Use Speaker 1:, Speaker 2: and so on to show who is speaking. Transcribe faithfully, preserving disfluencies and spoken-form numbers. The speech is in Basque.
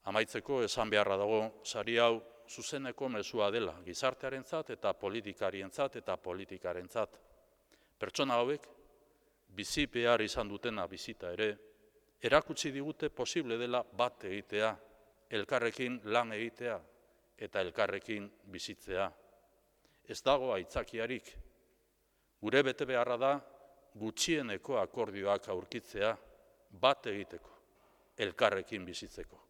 Speaker 1: Amaitzeko esan beharra dago sari hau zuzeneko mezua dela, gizartearentzat eta politikarientzat eta politikarentzat. Pertsona hauek, bizi behar izan dutena bizita ere, erakutsi digute posible dela bat egitea, elkarrekin lan egitea eta elkarrekin bizitzea. Ez dago aitzakiarik. Gure bete beharra da gutxieneko akordioak aurkitzea, bat egiteko, elkarrekin bizitzeko.